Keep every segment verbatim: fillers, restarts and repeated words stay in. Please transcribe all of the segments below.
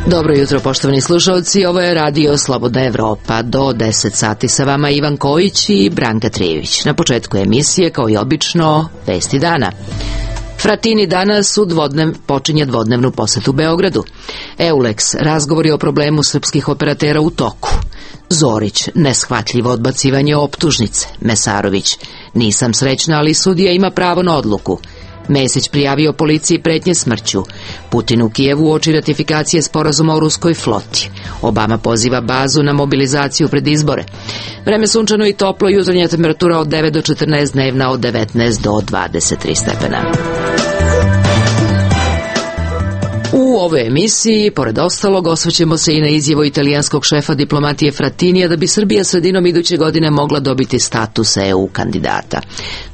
Dobro jutro, poštovani slušalci, ovo je Radio Slobodna Evropa. Do deset sati sa vama Ivan Kojić i Branka Trijević. Na početku emisije, kao i obično, vesti dana. Fratini danas u dvodnev, počinje dvodnevnu posetu Beogradu. Eulex, razgovori o problemu srpskih operatera u toku. Zorić, neshvatljivo odbacivanje optužnice. Mesarović, nisam srećna, ali sudija ima pravo na odluku. Mesić prijavio policiji pretnje smrću. Putin u Kijevu uoči ratifikacije sporazuma o ruskoj floti. Obama poziva bazu na mobilizaciju pred izbore. Vreme sunčano i toplo, jutarnja temperatura od devet do četrnaest, dnevna od devetnaest do dvadeset tri stepena. U ovoj emisiji, pored ostalog, osvrćemo se i na izjavu italijanskog šefa diplomatije Fratinija da bi Srbija sredinom iduće godine mogla dobiti status E U kandidata.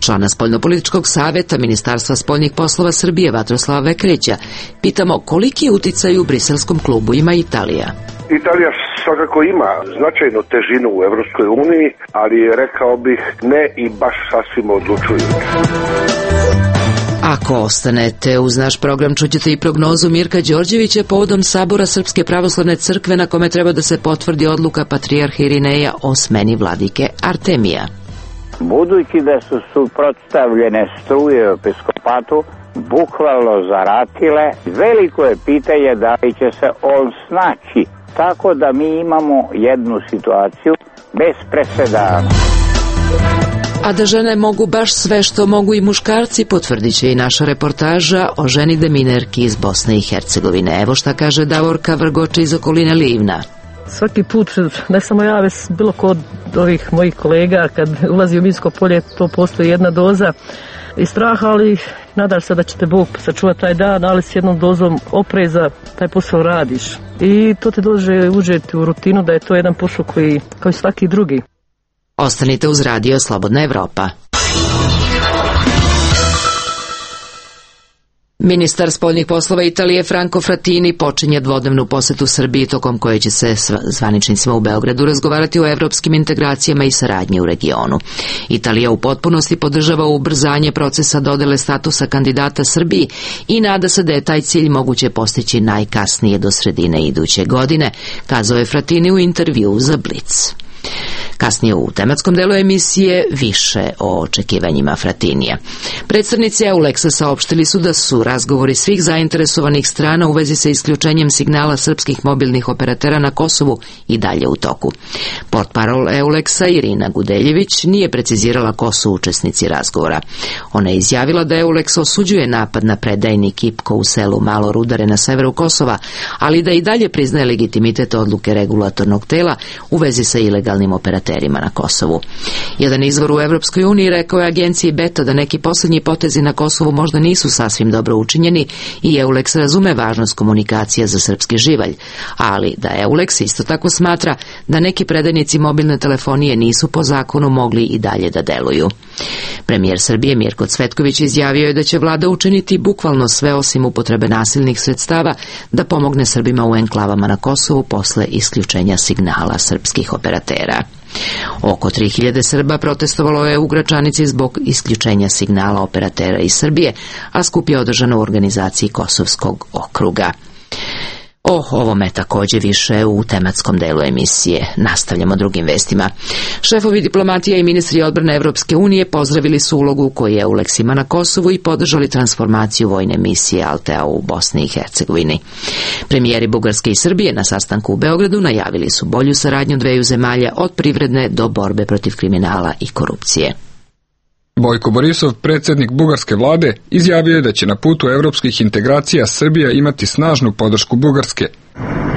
Člana Spoljnopolitičkog saveta Ministarstva spoljnih poslova Srbije Vatroslava Vekreća pitamo koliki uticaj u briselskom klubu ima Italija. Italija svakako ima značajnu težinu u Evropskoj uniji, ali rekao bih ne i baš sasvim odlučujući. Ako ostanete uz naš program, čućete i prognozu Mirka Đorđevića povodom sabora Srpske pravoslavne crkve na kome treba da se potvrdi odluka patrijarha Irineja o smeni vladike Artemija. Budući da su suprotstavljene struje u episkopatu bukvalno zaratile, veliko je pitanje da li će se on snaći. Tako da mi imamo jednu situaciju bez presedana. A da žene mogu baš sve što mogu i muškarci, potvrdit će i naša reportaža o ženi deminerki iz Bosne i Hercegovine. Evo šta kaže Davorka Vrgoče iz okoline Livna. Svaki put, ne samo ja, već bilo kod ovih mojih kolega, kad ulazi u minsko polje, to postoji jedna doza i straha, ali nadam se da ćete Bog sačuvati taj dan, ali s jednom dozom opreza taj posao radiš. I to te dođe uđeti u rutinu da je to jedan posao koji, kao i svaki drugi. Ostanite uz Radio Slobodna Evropa. Ministar spoljnih poslova Italije Franco Fratini počinje dvodnevnu posetu Srbiji tokom koje će se zvaničnicima u Beogradu razgovarati o evropskim integracijama i saradnji u regionu. Italija u potpunosti podržava ubrzanje procesa dodele statusa kandidata Srbiji i nada se da je taj cilj moguće postići najkasnije do sredine iduće godine, kazao je Fratini u intervjuu za Blic. Kasnije u tematskom delu emisije više o očekivanjima Fratinija. Predstavnici Eulexa saopštili su da su razgovori svih zainteresovanih strana u vezi sa isključenjem signala srpskih mobilnih operatera na Kosovu i dalje u toku. Portparol Eulexa Irina Gudeljević nije precizirala ko su učesnici razgovora. Ona je izjavila da Eulex osuđuje napad na predajnik Ipko u selu Malo Rudare na severu Kosova, ali da i dalje priznaje legitimitet odluke regulatornog tela u vezi sa ilegalnim operaterima na Kosovu. Jedan izvor u Evropskoj uniji rekao je agenciji Beta da neki posljednji potezi na Kosovu možda nisu sasvim dobro učinjeni i Eulex razume važnost komunikacija za srpski živalj, ali da Eulex isto tako smatra da neki predajnici mobilne telefonije nisu po zakonu mogli i dalje da deluju. Premijer Srbije Mirko Cvetković izjavio je da će vlada učiniti bukvalno sve osim upotrebe nasilnih sredstava da pomogne Srbima u enklavama na Kosovu posle isključenja signala srpskih operatera. Oko tri hiljade Srba protestovalo je u Gračanici zbog isključenja signala operatera iz Srbije, a skup je održan u organizaciji Kosovskog okruga. O ovome takođe više u tematskom delu emisije. Nastavljamo drugim vestima. Šefovi diplomatija i ministri odbrane Evropske unije pozdravili su ulogu koju je Eulex ima na Kosovu i podržali transformaciju vojne misije Altea u Bosni i Hercegovini. Premijeri Bugarske i Srbije na sastanku u Beogradu najavili su bolju saradnju dveju zemalja od privredne do borbe protiv kriminala i korupcije. Bojko Borisov, predsjednik bugarske vlade, izjavio je da će na putu evropskih integracija Srbija imati snažnu podršku Bugarske.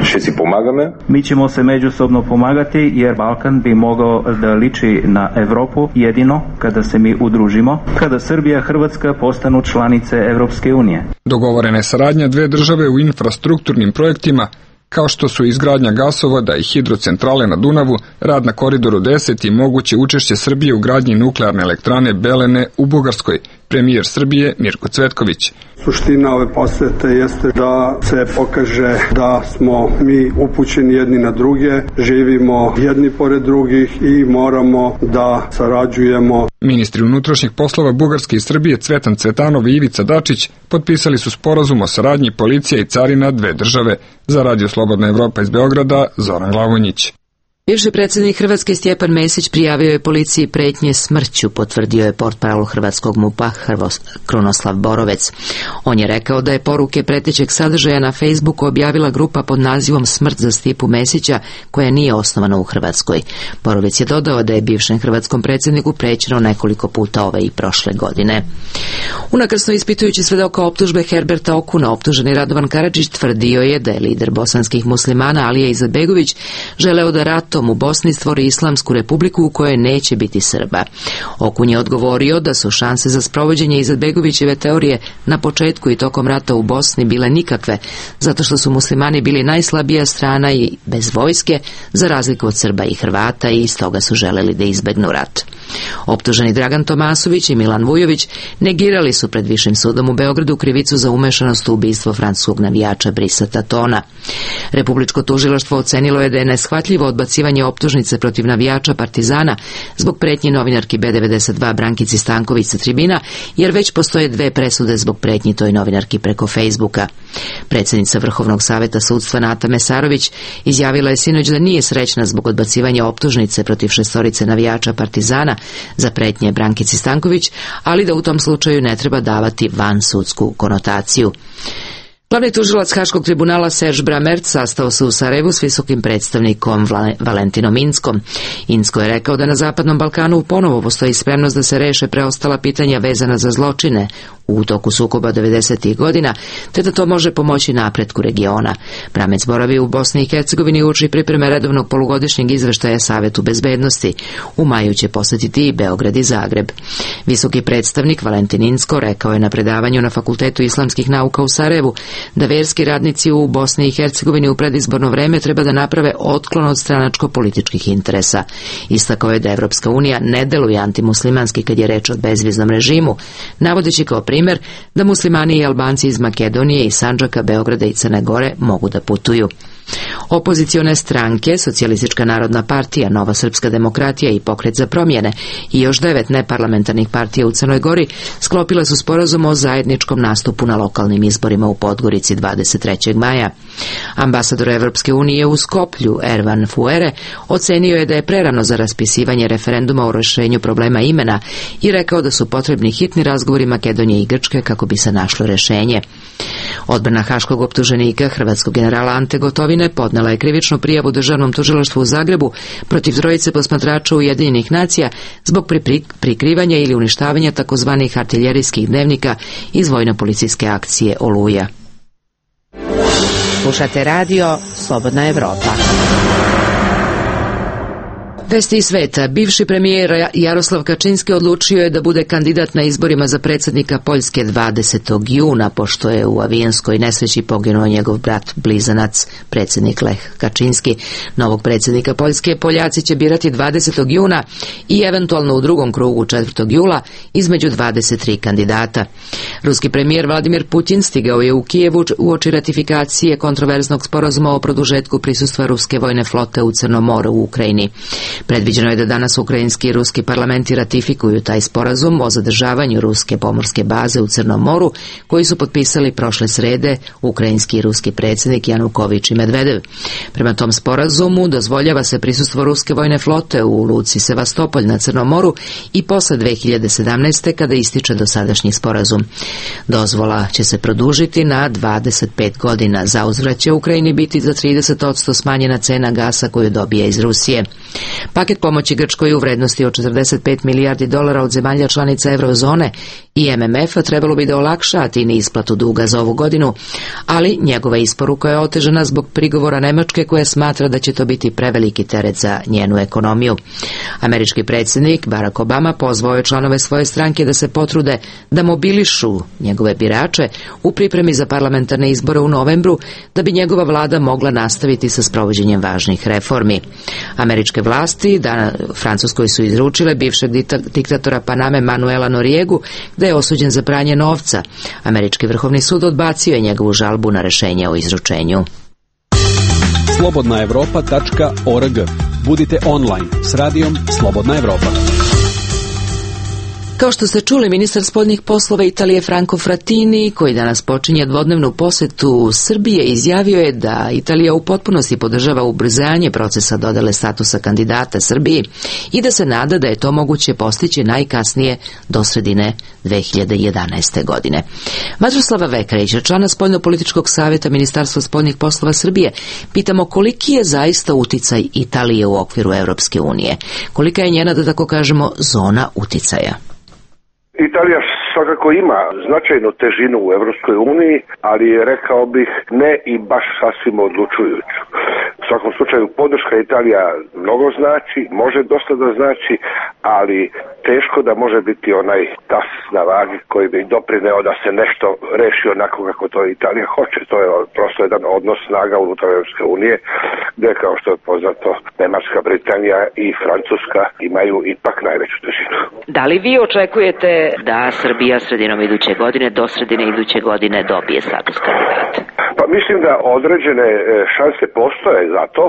Še si pomagame? Mi ćemo se međusobno pomagati jer Balkan bi mogao da liči na Evropu jedino kada se mi udružimo, kada Srbija i Hrvatska postanu članice Evropske unije. Dogovorena je saradnja dve države u infrastrukturnim projektima, kao što su izgradnja gasovoda i hidrocentrale na Dunavu, rad na Koridoru deset i moguće učešće Srbije u gradnji nuklearne elektrane Belene u Bugarskoj, premijer Srbije Mirko Cvetković. Suština ove posete jeste da se pokaže da smo mi upućeni jedni na druge, živimo jedni pored drugih i moramo da sarađujemo. Ministri unutrašnjih poslova Bugarske i Srbije Cvetan Cvetanov i Ivica Dačić potpisali su sporazum o saradnji policija i carina dve države. Za Radio Slobodna Evropa iz Beograda, Zoran Glavonjić. Bivši predsjednik Hrvatske Stjepan Mesić prijavio je policiji pretnje smrću, potvrdio je portparol hrvatskog MUP-a Krunoslav Borovec. On je rekao da je poruke pretećeg sadržaja na Facebooku objavila grupa pod nazivom Smrt za Stipu Mesića, koja nije osnovana u Hrvatskoj. Borovec je dodao da je bivšem hrvatskom predsjedniku prećeno nekoliko puta ove i prošle godine. Unakrsno ispitujući svedoka optužbe Herberta Okuna, optuženi Radovan Karadžić tvrdio je da je lider bosanskih muslimana Alija Izetbegović želeo da rat u Bosni stvori Islamsku republiku u kojoj neće biti Srba. Okun je odgovorio da su šanse za sprovođenje Izetbegovićeve teorije na početku i tokom rata u Bosni bile nikakve, zato što su muslimani bili najslabija strana i bez vojske, za razliku od Srba i Hrvata, i iz toga su želeli da izbegnu rat. Optuženi Dragan Tomasović i Milan Vujović negirali su pred Višim sudom u Beogradu krivicu za umešanost u ubistvo francuskog navijača Brisa Tatona. Republičko tužilaštvo ocenilo je da je neshvatljivo odbacivanje optužnice protiv navijača Partizana zbog pretnje novinarki B devedeset dva Brankici Stanković sa tribina, jer već postoje dve presude zbog pretnji toj novinarki preko Facebooka. Predsjednica Vrhovnog saveta sudstva Nata Mesarović izjavila je sinoć da nije srećna zbog odbacivanja optužnice protiv šestorice navijača Partizana za pretnje Brankici Stanković, ali da u tom slučaju ne treba davati vansudsku konotaciju. Glavni tužilac Haškog tribunala Serge Brammertz sastao se u Sarajevu s visokim predstavnikom Valentinom Inckom. Incko je rekao da na Zapadnom Balkanu ponovo postoji spremnost da se reše preostala pitanja vezana za zločine u toku sukoba devedesetih godina, te da to može pomoći napretku regiona. Brammertz boravi u Bosni i Hercegovini uči pripreme redovnog polugodišnjeg izveštaja Savetu bezbednosti. U maju će posjetiti i Beograd i Zagreb. Visoki predstavnik Valentin Incko rekao je na predavanju na Fakultetu islamskih nauka u Sarajevu da verski radnici u Bosni i Hercegovini u predizborno vreme treba da naprave otklon od stranačko-političkih interesa. Istakao je da Evropska unija ne deluje antimuslimanski kad je reč o bezviznom režimu, navodeći kao primjer da muslimani i Albanci iz Makedonije i Sandžaka, Beograda i Crne Gore mogu da putuju. Opozicione stranke, Socijalistička narodna partija, Nova srpska demokratija i Pokret za promjene i još devet neparlamentarnih partija u Crnoj Gori sklopile su sporazum o zajedničkom nastupu na lokalnim izborima u Podgorici dvadeset trećeg maja. Ambasador Evropske unije u Skoplju, Ervan Fuere, ocenio je da je prerano za raspisivanje referenduma o rješenju problema imena i rekao da su potrebni hitni razgovori Makedonije i Grčke kako bi se našlo rješenje. Odbrana haškog optuženika, hrvatskog generala Ante Gotovine, podnela je krivičnu prijavu državnom tužilaštvu u Zagrebu protiv trojice posmatrača Ujedinjenih nacija zbog prikrivanja ili uništavanja takozvanih artiljerijskih dnevnika iz vojno-policijske akcije Oluja. Slušate radio Slobodna Evropa. Vesti iz sveta. Bivši premijer Jaroslav Kačinski odlučio je da bude kandidat na izborima za predsjednika Poljske dvadesetog juna, pošto je u avijanskoj nesreći poginuo njegov brat blizanac, predsjednik Lech Kačinski. Novog predsjednika Poljske Poljaci će birati dvadesetog juna i eventualno u drugom krugu četvrtog jula između dvadeset tri kandidata. Ruski premijer Vladimir Putin stigao je u Kijevu uoči ratifikacije kontroverznog sporazuma o produžetku prisustva ruske vojne flote u Crnom moru u Ukrajini. Predviđeno je da danas ukrajinski i ruski parlamenti ratifikuju taj sporazum o zadržavanju ruske pomorske baze u Crnom moru, koji su potpisali prošle srede ukrajinski i ruski predsjednik Januković i Medvedev. Prema tom sporazumu dozvoljava se prisustvo ruske vojne flote u luci Sevastopolj na Crnom moru i posle dve hiljade sedamnaeste. kada ističe dosadašnji sporazum. Dozvola će se produžiti na dvadeset pet godina. Zauzvrat će Ukrajini biti za trideset posto smanjena cena gasa koju dobije iz Rusije. Paket pomoći Grčkoj u vrednosti od četrdeset pet milijardi dolara od zemalja članica Eurozone i M M F-a trebalo bi da olakša Atini isplatu duga za ovu godinu, ali njegova isporuka je otežana zbog prigovora Nemačke koja smatra da će to biti preveliki teret za njenu ekonomiju. Američki predsjednik Barack Obama pozvao je članove svoje stranke da se potrude da mobilišu njegove birače u pripremi za parlamentarne izbore u novembru, da bi njegova vlada mogla nastaviti sa sprovođenjem važnih reformi. Američke vlasti da Francuskoj su izručile bivšeg diktatora Paname Manuela Noriegu da da je osuđen za pranje novca. Američki vrhovni sud odbacio je njegovu žalbu na rešenje o izručenju. slobodna evropa tačka org. Budite online s radijom Slobodna Evropa. Kao što ste čuli, ministar spoljnih poslova Italije Franco Frattini, koji danas počinje dvodnevnu posetu Srbije, izjavio je da Italija u potpunosti podržava ubrzanje procesa dodele statusa kandidata Srbiji i da se nada da je to moguće postići najkasnije do sredine dve hiljade jedanaeste. godine. Mađoslava Vekarića, člana Spoljno-političkog savjeta Ministarstva spoljnih poslova Srbije, pitamo koliki je zaista uticaj Italije u okviru Evropske unije, kolika je njena, da tako kažemo, zona uticaja. Italija svakako ima značajnu težinu u Evropskoj uniji, ali rekao bih ne i baš sasvim odlučujuću. U svakom slučaju podrška Italija mnogo znači, može dosta da znači, ali teško da može biti onaj tas na vagi koji bi doprineo da se nešto reši onako kako to Italija hoće. To je prosto jedan odnos snaga unutar Evropske unije, gde kao što je poznato Nemačka, Britanija i Francuska imaju ipak najveću težinu. Da li vi očekujete da Srbija sredinom iduće godine, do sredine iduće godine dobije status kandidata? Pa mislim da određene šanse postoje za to.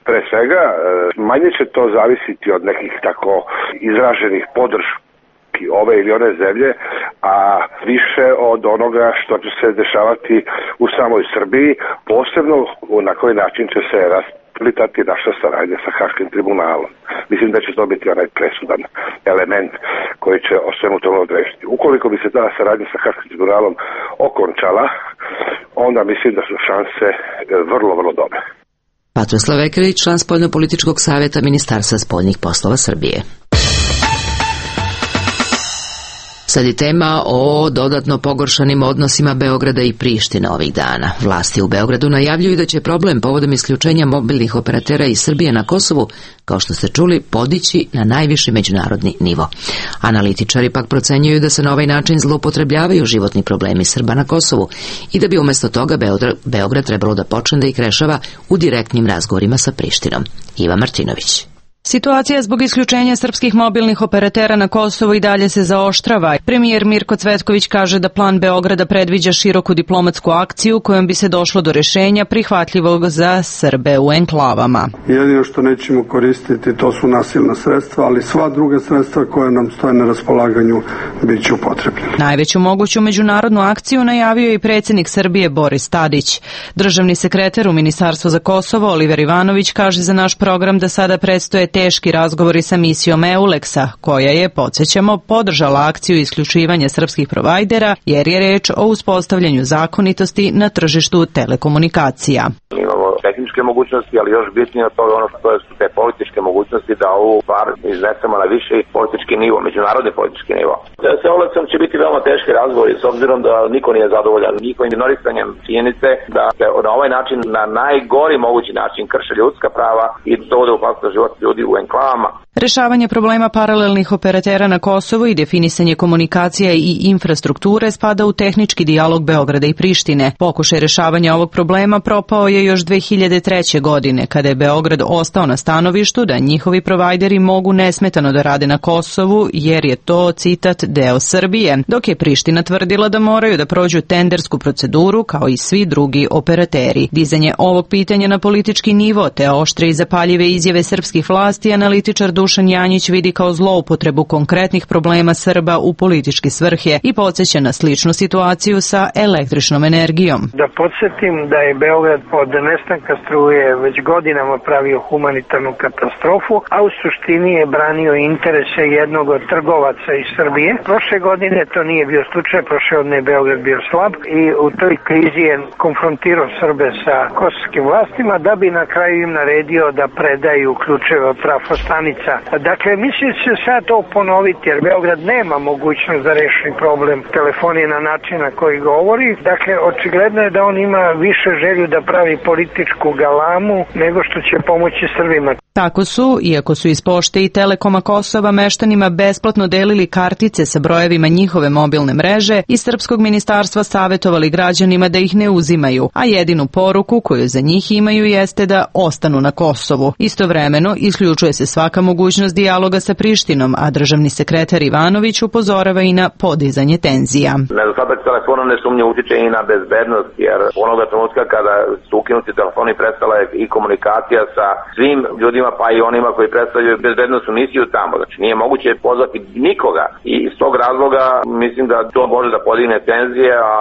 Pre svega, manje će to zavisiti od nekih tako izraženih podrški ove ili one zemlje, a više od onoga što će se dešavati u samoj Srbiji, posebno na koji način će se rasplitati naša saradnja sa Haškim tribunalom. Mislim da će to biti onaj presudan element koji će o svemu tome odrešiti. Ukoliko bi se ta saradnja sa Haškim tribunalom okončala, onda mislim da su šanse vrlo, vrlo dobre. Patroslav Vekarić, član Spoljno-političkog savjeta Ministarstva spoljnih poslova Srbije. Sad je tema o dodatno pogoršanim odnosima Beograda i Prištine ovih dana. Vlasti u Beogradu najavljuju da će problem povodom isključenja mobilnih operatera iz Srbije na Kosovu, kao što ste čuli, podići na najviši međunarodni nivo. Analitičari pak procenjuju da se na ovaj način zloupotrebljavaju životni problemi Srba na Kosovu i da bi umjesto toga Beograd trebalo da počne da ih rešava u direktnim razgovorima sa Prištinom. Iva Martinović. Situacija zbog isključenja srpskih mobilnih operatera na Kosovu i dalje se zaoštrava. Premijer Mirko Cvetković kaže da plan Beograda predviđa široku diplomatsku akciju kojom bi se došlo do rešenja prihvatljivog za Srbe u enklavama. Jedino što nećemo koristiti to su nasilna sredstva, ali sva druga sredstva koja nam stoje na raspolaganju bit će upotrebljena. Najveću moguću međunarodnu akciju najavio je i predsjednik Srbije Boris Tadić. Državni sekretar u Ministarstvu za Kosovo Oliver Ivanović kaže za naš program da sada predstoje teški razgovori sa misijom EULEX-a, koja je, podsjećamo, podržala akciju isključivanja srpskih provajdera, jer je reč o uspostavljanju zakonitosti na tržištu telekomunikacija. Imamo tehničke mogućnosti, ali još bitnije od toga ono što su te političke mogućnosti da ovu stvar iznesemo na viši politički nivo, međunarodni politički nivo. Sa EULEX-om će biti veoma teški razgovori, s obzirom da niko nije zadovoljan njihovim ignorisanjem činjenice da se na ovaj način, na najgori mogući način, krše ljudska prava i dovode u opasnost život ljudi u enklavama. Rešavanje problema paralelnih operatera na Kosovu i definisanje komunikacija i infrastrukture spada u tehnički dijalog Beograda i Prištine. Pokušaj rešavanja ovog problema propao je još dve hiljade treće. godine, kada je Beograd ostao na stanovištu da njihovi provajderi mogu nesmetano da rade na Kosovu, jer je to, citat, deo Srbije, dok je Priština tvrdila da moraju da prođu tendersku proceduru kao i svi drugi operateri. Dizanje ovog pitanja na politički nivo te oštre i zapaljive izjave srpskih vlasti analitičar Dušan Janjić vidi kao zloupotrebu konkretnih problema Srba u političke svrhe i podsjeća na sličnu situaciju sa električnom energijom. Da podsjetim da je Beograd od nestanka struje već godinama pravio humanitarnu katastrofu, a u suštini je branio interese jednog od trgovaca iz Srbije. Prošle godine to nije bio slučaj, prošle godine je Beograd bio slab i u toj krizi je konfrontirao Srbe sa kosovskim vlastima da bi na kraju im naredio da predaju ključeve od trafostanica. Dakle, mislim da će sad to ponoviti, jer Beograd nema mogućnost da reši problem telefonije na način na koji govori. Dakle, očigledno je da on ima više želju da pravi političku galamu nego što će pomoći Srbima. Tako su, iako su iz Pošte i Telekoma Kosova meštanima besplatno delili kartice sa brojevima njihove mobilne mreže, iz Srpskog ministarstva savetovali građanima da ih ne uzimaju, a jedinu poruku koju za njih imaju jeste da ostanu na Kosovu. Istovremeno, isključuje se svaka mogućnost dijaloga sa Prištinom, a državni sekretar Ivanović upozorava i na podizanje tenzija. Nedostatak telefona nesumnjivo utiče i na bezbednost, jer onoga trenutka kada su ukinuti telefoni prestala je i komunikacija sa svim ljudima, pa i onima koji predstavljaju bezbednosnu misiju tamo. Znači nije moguće pozvati nikoga i iz tog razloga mislim da to može da podigne tenzije, a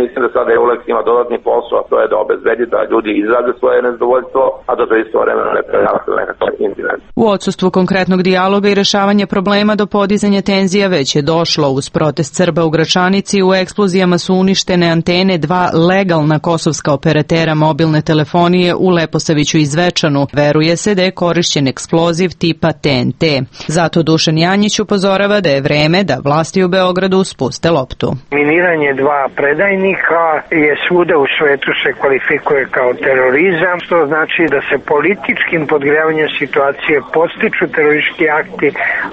mislim da sada EULEX ima dodatni posao, a to je da obezbedi da ljudi izraze svoje nezadovoljstvo, a da to istovremeno ne prejavate nekakav incident. U odsustvu konkretnog dijaloga i rešavanja problema do podizanja tenzija već je došlo. Uz protest Srba u Gračanici u eksplozijama su uništene antene dva legalna kosovska operatera mobilne telefonije u Leposaviću i Zvečanu. Veruje se da je korišćen eksploziv tipa T N T. Zato Dušan Janjić upozorava da je vreme da vlasti u Beogradu spuste loptu. Miniranje dva predajnika je svuda u svetu se kvalifikuje kao terorizam, što znači da se političkim podgrevanjem situacije podstiču teroristički akti,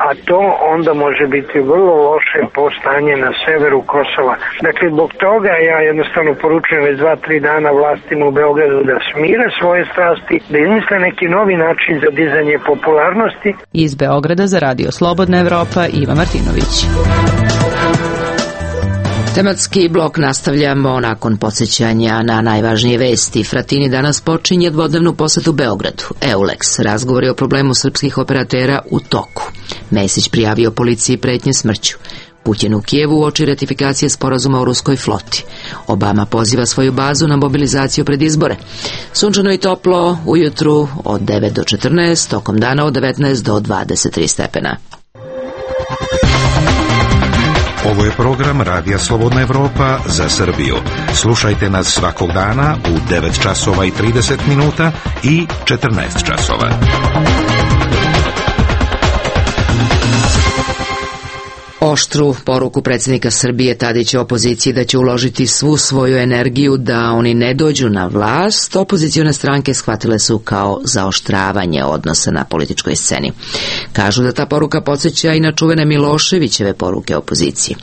a to onda može biti vrlo loše po stanje na severu Kosova. Dakle, zbog toga ja jednostavno poručujem već dva, tri dana vlastima u Beogradu da smire svoje strasti, da izmisle neki novi način za dizanje popularnosti. Iz Beograda za Radio Slobodna Evropa, Iva Martinović. Tematski blok nastavljamo nakon podsjećanja na najvažnije vesti. Fratini danas počinje dvodnevnu posetu Beogradu. EULEX, razgovori o problemu srpskih operatera u toku. Mesić prijavio policiji pretnje smrću. Putin u Kijevu uoči ratifikacije sporazuma o ruskoj floti. Obama poziva svoju bazu na mobilizaciju pred izbore. Sunčano i toplo ujutru od devet do četrnaest, tokom dana od devetnaest do dvadeset tri stepena. Ovo je program Radija Slobodna Evropa za Srbiju. Slušajte nas svakog dana u devet časova i trideset minuta i četrnaest časova. Oštru poruku predsjednika Srbije Tadića opoziciji da će uložiti svu svoju energiju da oni ne dođu na vlast, opozicione stranke shvatile su kao zaoštravanje odnosa na političkoj sceni. Kažu da ta poruka podsjeća i na čuvene Miloševićeve poruke opoziciji.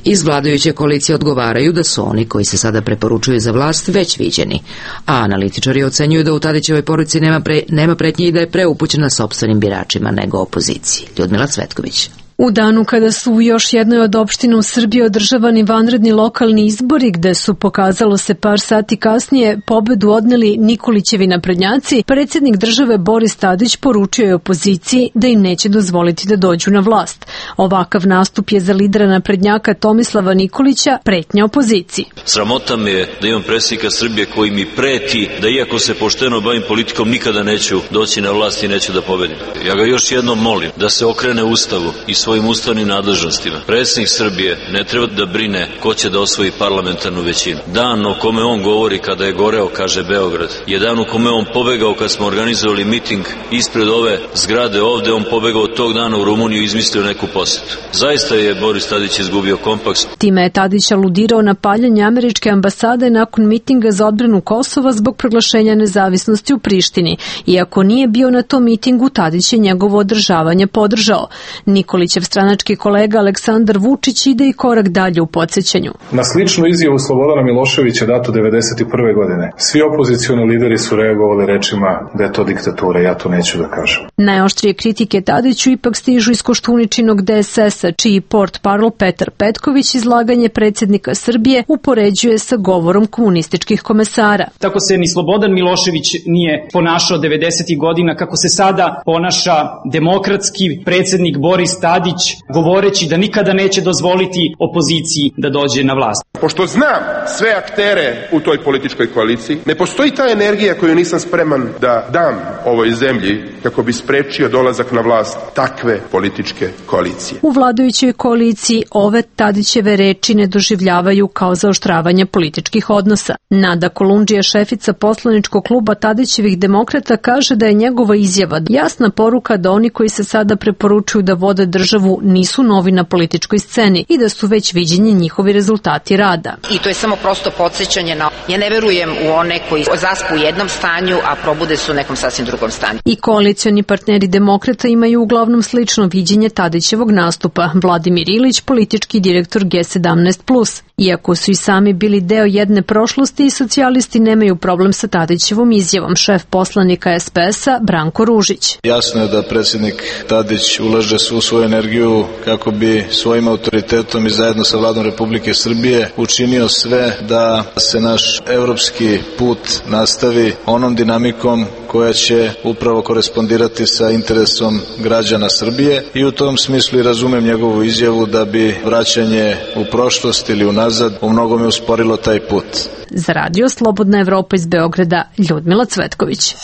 Iz vladajuće koalicije odgovaraju da su oni koji se sada preporučuju za vlast već viđeni, a analitičari ocenjuju da u Tadićevoj poruci nema, pre, nema pretnje i da je preupućena sopstvenim biračima nego opoziciji. Ljudmila Cvetković. U danu kada su u još jednoj od opština u Srbiji održavani vanredni lokalni izbori, gde su, pokazalo se par sati kasnije, pobedu odneli Nikolićevi naprednjaci, predsjednik države Boris Tadić poručio je opoziciji da im neće dozvoliti da dođu na vlast. Ovakav nastup je za lidera naprednjaka Tomislava Nikolića pretnja opoziciji. Sramota me je da imam predsjednika Srbije koji mi preti da iako se pošteno bavim politikom nikada neću doći na vlast i neću da pobedim. Ja ga još jednom molim da se okrene Ustavu i svojim ustavnim nadležnostima. Predsjednik Srbije ne treba da brine ko će da osvoji parlamentarnu većinu. Dan o kome on govori kada je goreo, kaže Beograd, je dan u kome on pobegao kad smo organizovali miting ispred ove zgrade ovde, on pobegao tog dana u Rumuniju i izmislio neku posetu. Zaista je Boris Tadić izgubio kompaks. Time je Tadić aludirao na paljanje američke ambasade nakon mitinga za odbranu Kosova zbog proglašenja nezavisnosti u Prištini. Iako nije bio na tom mitingu, Tadić je njegovo održavanje podržao. Nikolićev stranački kolega Aleksandar Vučić ide i korak dalje u podsjećanju. Na sličnu izjavu Slobodana Miloševića dato devedeset prve godine. Svi opozicioni lideri su reagovali rečima da je to diktatura, ja to neću da kažem. Najoštrije kritike Tadiću ipak stižu iz Koštuničinog D S S-a, čiji portparol Petar Petković izlaganje predsjednika Srbije upoređuje sa govorom komunističkih komesara. Tako se ni Slobodan Milošević nije ponašao devedesetih godina, kako se sada ponaša demokratski predsjednik Boris Tadić, govoreći da nikada neće dozvoliti opoziciji da dođe na vlast. Pošto znam sve aktere u toj političkoj koaliciji, ne postoji ta energija koju nisam spreman da dam ovoj zemlji kako bi sprečio dolazak na vlast takve političke koalicije. U vladajućoj koaliciji ove Tadićeve reči ne doživljavaju kao zaoštravanje političkih odnosa. Nada Kolundžija, šefica poslaničkog kluba Tadićevih demokrata, kaže da je njegova izjava jasna poruka da oni koji se sada preporučuju da vode državu nisu novi na političkoj sceni i da su već viđeni njihovi rezultati rada. rada. I to je samo prosto podsjećanje na... Ja ne verujem u one koji zaspu u jednom stanju, a probude su u nekom sasvim drugom stanju. I koalicioni partneri demokrata imaju uglavnom slično viđenje Tadićevog nastupa. Vladimir Ilić, politički direktor G sedamnaest plus. Iako su i sami bili deo jedne prošlosti, i socijalisti nemaju problem sa Tadićevom izjavom. Šef poslanika S P S-a Branko Ružić. Jasno je da predsjednik Tadić ulaže svu svoju energiju kako bi svojim autoritetom i zajedno sa Vladom Republike Srbije učinio sve da se naš evropski put nastavi onom dinamikom koja će upravo korespondirati sa interesom građana Srbije i u tom smislu i razumem njegovu izjavu da bi vraćanje u prošlost ili unazad u mnogome usporilo taj put. Za radio Slobodna Evropa iz Beograda, Ljudmila Cvetković.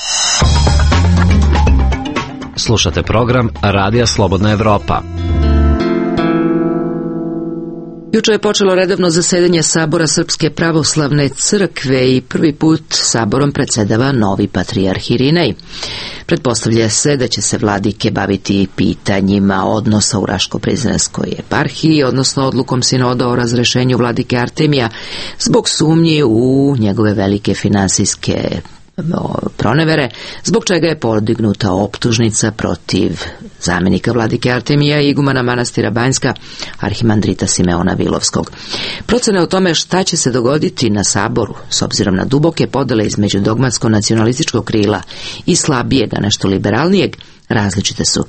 Slušate program Radija Slobodna Evropa. Juče je počelo redovno zasedanje Sabora Srpske pravoslavne crkve i prvi put Saborom predsedava novi patrijarh Irinej. Pretpostavlja se da će se vladike baviti pitanjima odnosa u Raško-Prizrenskoj eparhiji, odnosno odlukom sinoda o razrešenju vladike Artemija zbog sumnji u njegove velike finansijske pronevere, zbog čega je podignuta optužnica protiv zamenika vladike Artemija i igumana manastira Banjska, arhimandrita Simeona Vilovskog. Procene o tome šta će se dogoditi na Saboru, s obzirom na duboke podele između dogmatsko-nacionalističkog krila i slabijega, nešto liberalnijeg, različite su.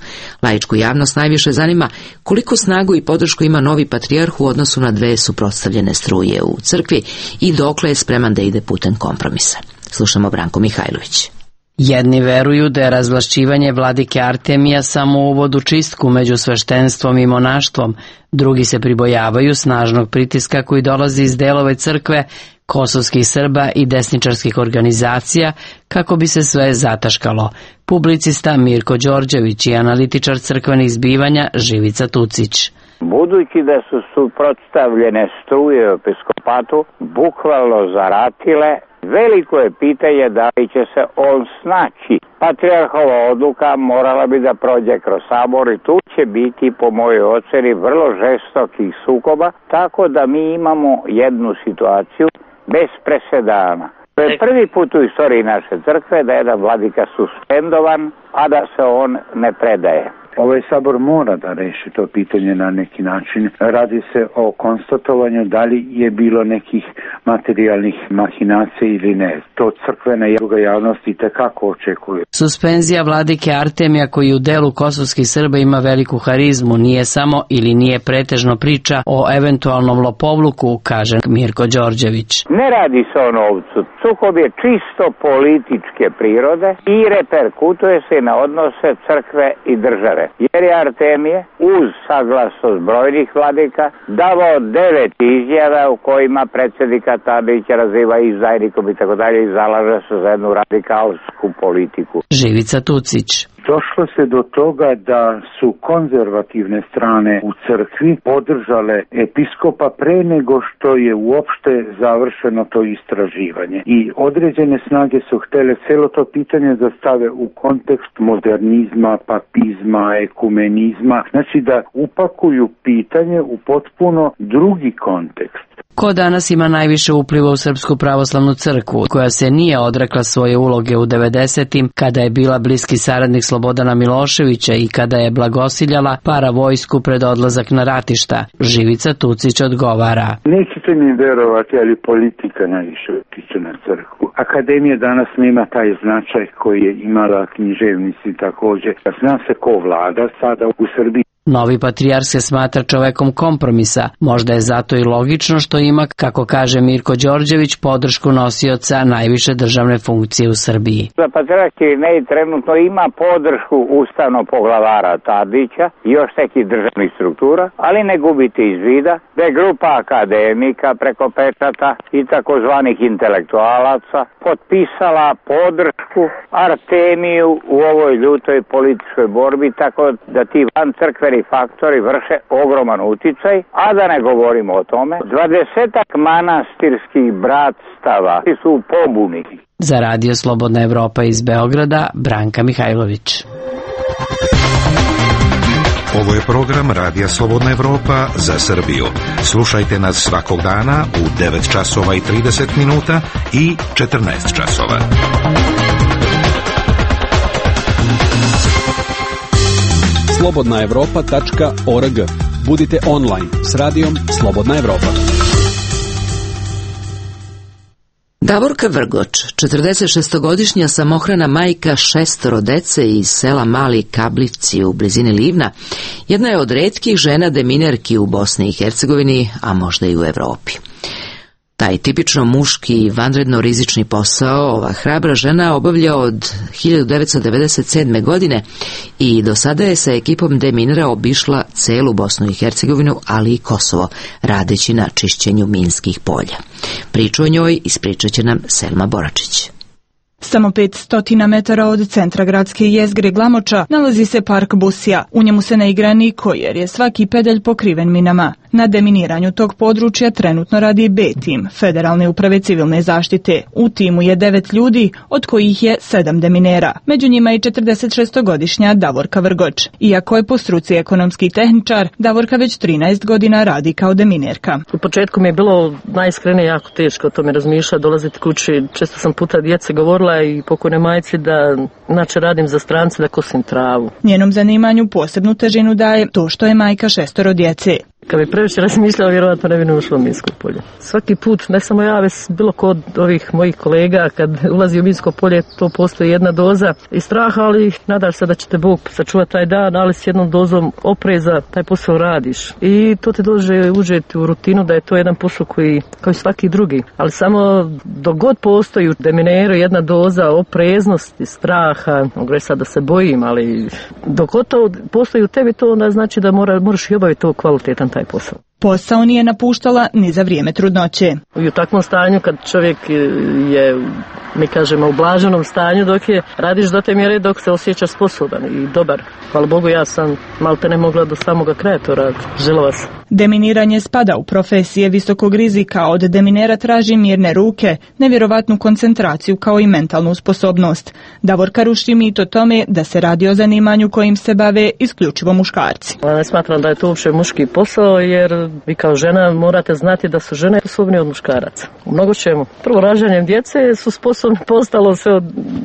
Laičku javnost najviše zanima koliko snagu i podršku ima novi patrijarh u odnosu na dve suprotstavljene struje u crkvi i dokle je spreman da ide putem kompromisa. Slušamo Branko Mihajlović. Jedni veruju da je razvlašćivanje vladike Artemija samo uvod u čistku među sveštenstvom i monaštvom, drugi se pribojavaju snažnog pritiska koji dolazi iz delove crkve, kosovskih Srba i desničarskih organizacija kako bi se sve zataškalo. Publicista Mirko Đorđević i analitičar crkvenih zbivanja Živica Tucić. Budući da su suprotstavljene struje u episkopatu bukvalno zaratile, veliko je pitanje da li će se on snaći. Patrijarhova odluka morala bi da prođe kroz sabor i tu će biti, po mojoj oceni, vrlo žestokih sukoba, tako da mi imamo jednu situaciju bez presedana. To je prvi put u istoriji naše crkve da je jedan vladika suspendovan, a da se on ne predaje. Ovaj sabor mora da reši to pitanje na neki način. Radi se o konstatovanju da li je bilo nekih materijalnih mahinacija ili ne. To crkvena i druga javnost i tekako očekuje. Suspenzija vladike Artemija koji u delu kosovskih Srba ima veliku harizmu nije samo ili nije pretežno priča o eventualnom lopovluku, kaže Mirko Đorđević. Ne radi se o novcu. Sukob je čisto političke prirode i reperkutuje se na odnose crkve i države. Jer je Artemije, uz saglasnost brojnih vladika, davao devet izjava u kojima predsjednika Tadića raziva izdajnikom i tako dalje i zalaže se za jednu radikalsku politiku. Živica Tucić. Došlo se do toga da su konzervativne strane u crkvi podržale episkopa pre nego što je uopšte završeno to istraživanje. I određene snage su htele celo to pitanje da stave u kontekst modernizma, papizma, ekumenizma, znači da upakuju pitanje u potpuno drugi kontekst. Ko danas ima najviše upliva u Srpsku pravoslavnu crkvu, koja se nije odrekla svoje uloge u devedesetim, kada je bila bliski saradnik Slobodana Miloševića i kada je blagosiljala para vojsku pred odlazak na ratišta? Živica Tucić odgovara. Nećete mi verovati, ali politika najviše utiče na crkvu. Akademija danas nema taj značaj koji je imala književnici također. Zna se ko vlada sada u Srbiji. Novi patrijarh se smatra čovekom kompromisa, možda je zato i logično što ima, kako kaže Mirko Đorđević, podršku nosioca najviše državne funkcije u Srbiji. Za patrijarh Irinej trenutno ima podršku ustavnog poglavara Tadića i još nekih državnih struktura, ali ne gubite iz vida da je grupa akademika preko pečata i takozvanih intelektualaca potpisala podršku Artemiju u ovoj ljutoj političkoj borbi, tako da ti van crkveni faktori vrše ogroman uticaj, a da ne govorimo o tome. Dvadesetak manastirskih bratstava su u pobuni. Za radio Slobodna Evropa iz Beograda, Branka Mihajlović. Ovo je program Radija Slobodna Evropa za Srbiju. Slušajte nas svakog dana u devet časova i trideset minuta i četrnaest časova. slobodna evropa tačka org. Budite online s radijom Slobodna Evropa. Davorka Vrgoč, četrdesetšestogodišnja samohrana majka šestoro dece iz sela Mali Kablivci u blizini Livna, jedna je od retkih žena deminerki u Bosni i Hercegovini, a možda i u Evropi. Taj tipično muški i vanredno rizični posao ova hrabra žena obavlja od hiljadu devetsto devedeset sedme. godine i do sada je sa ekipom deminera obišla celu Bosnu i Hercegovinu, ali i Kosovo, radeći na čišćenju minskih polja. Priču o njoj ispričat će nam Selma Boračić. Samo petsto metara od centra gradske jezgre Glamoča nalazi se park Busija. U njemu se ne igra niko jer je svaki pedalj pokriven minama. Na deminiranju tog područja trenutno radi B-tim, Federalne uprave civilne zaštite. U timu je devet ljudi, od kojih je sedam deminera. Među njima i četrdesetšestogodišnja Davorka Vrgoč. Iako je po struci ekonomski tehničar, Davorka već trinaest godina radi kao deminerka. U početku mi je bilo najiskrenije jako teško o tome razmišljati, dolaziti kući. Često sam puta djece govorila i pokojne majci da znači radim za strance, da kosim travu. Njenom zanimanju posebnu težinu daje to što je majka šestoro djece. Kad bi previše razmišljala, vjerovatno ne bi ušlo u minsko polje. Svaki put, ne samo ja, već bilo kod ovih mojih kolega, kad ulazi u minsko polje, to postoji jedna doza i straha, ali nadaš se da će te Bog sačuvati taj dan, ali s jednom dozom opreza taj posao radiš. I to te dođe užeti u rutinu da je to jedan posao koji, kao i svaki drugi. Ali samo dok god postoji u demineru jedna doza opreznosti, straha, mogu reći sad da se bojim, ali dok god to postoji u tebi, to onda znači da mora, moraš i obaviti to kvalitetan taj posao. Posao nije napuštala ni za vrijeme trudnoće. I u takvom stanju kad čovjek je, mi kažemo, u blaženom stanju, dok je radiš do te mjere dok se osjećaš sposoban i dobar. Hvala Bogu, ja sam malte ne mogla do samoga kraja to raditi. Želova sam. Deminiranje spada u profesije visokog rizika. Od deminera traži mirne ruke, nevjerovatnu koncentraciju kao i mentalnu sposobnost. Davorka ruši mit o tome da se radi o zanimanju kojim se bave isključivo muškarci. Ne smatram da je to uopće muški posao, jer vi kao žena morate znati da su žene sposobni od muškaraca. U mnogo čemu. Prvo, rađanjem djece su sposobni postalo sve od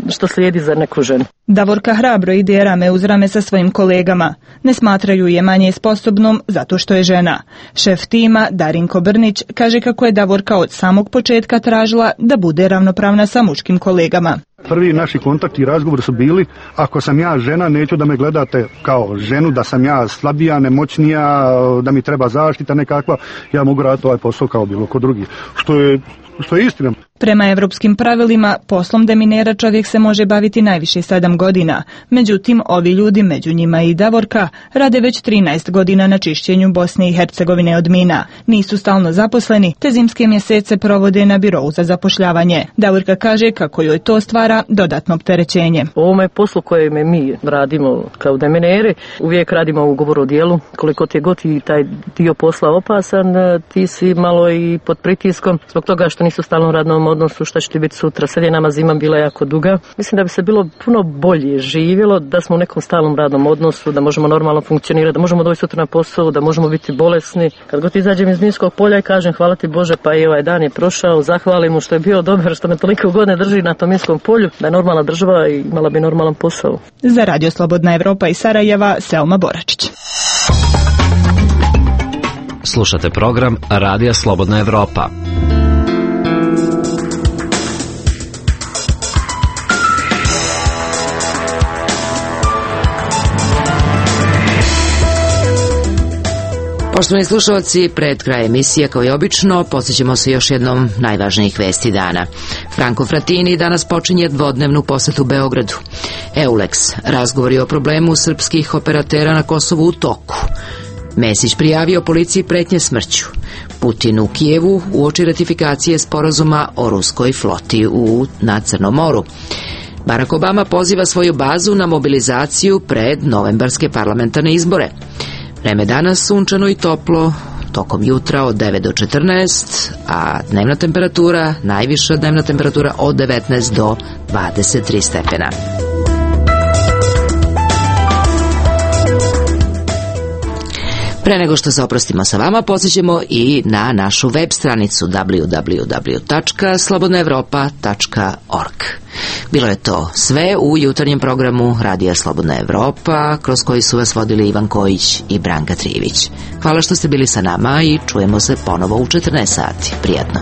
što slijedi za neku ženu. Davorka hrabro ide rame uz rame sa svojim kolegama. Ne smatraju je manje sposobnom zato što je žena. Šef tima Darinko Brnić kaže kako je Davorka od samog početka tražila da bude ravnopravna sa muškim kolegama. Prvi naši kontakti i razgovori su bili, ako sam ja žena, neću da me gledate kao ženu, da sam ja slabija, nemoćnija, da mi treba zaštita nekakva, ja mogu raditi ovaj posao kao bilo ko drugi. Što je, što je istina. Prema evropskim pravilima, poslom deminera čovjek se može baviti najviše sedam godina. Međutim, ovi ljudi, među njima i Davorka, rade već trinaest godina na čišćenju Bosne i Hercegovine od mina. Nisu stalno zaposleni, te zimske mjesece provode na birovu za zapošljavanje. Davorka kaže kako joj to stvara dodatno opterećenje. U ovome poslu koje mi radimo kao demineri, uvijek radimo ugovor o dijelu. Koliko ti je god i taj dio posla opasan, ti si malo i pod pritiskom zbog toga što nisu stalno radnom odnosu, šta će ti biti sutra. Sad je nama zima bila jako duga. Mislim da bi se bilo puno bolje živjelo da smo u nekom stalnom radnom odnosu, da možemo normalno funkcionirati, da možemo doći sutra na posao, da možemo biti bolesni. Kad god izađem iz minskog polja i kažem hvala ti Bože, pa i ovaj dan je prošao, zahvalim mu što je bio dobar, što me toliko godine drži na tom minskom polju, da je normalna država i imala bi normalan posao. Za Radio Slobodna Evropa iz Sarajeva, Selma Boračić. Slušate program Radija Slobodna Evropa. Poštovani slušalci, pred kraj emisije, kao i obično, posjećamo se još jednom najvažnijih vesti dana. Franco Frattini danas počinje dvodnevnu posetu Beogradu. Eulex, razgovori o problemu srpskih operatera na Kosovu u toku. Mesić prijavio policiji pretnje smrću. Putin u Kijevu uoči ratifikacije sporazuma o ruskoj floti u, na Crnom moru. Barack Obama poziva svoju bazu na mobilizaciju pred novembarske parlamentarne izbore. Vreme danas sunčano i toplo, tokom jutra od devet do četrnaest, a dnevna temperatura, najviša dnevna temperatura od devetnaest do dvadeset tri stepena. Pre nego što se oprostimo sa vama, posjećemo i na našu web stranicu w w w tačka slobodna evropa tačka org. Bilo je to sve u jutarnjem programu Radija Slobodna Evropa, kroz koji su vas vodili Ivan Kojić i Branka Trivić. Hvala što ste bili sa nama i čujemo se ponovo u četrnaest sati. Prijatno.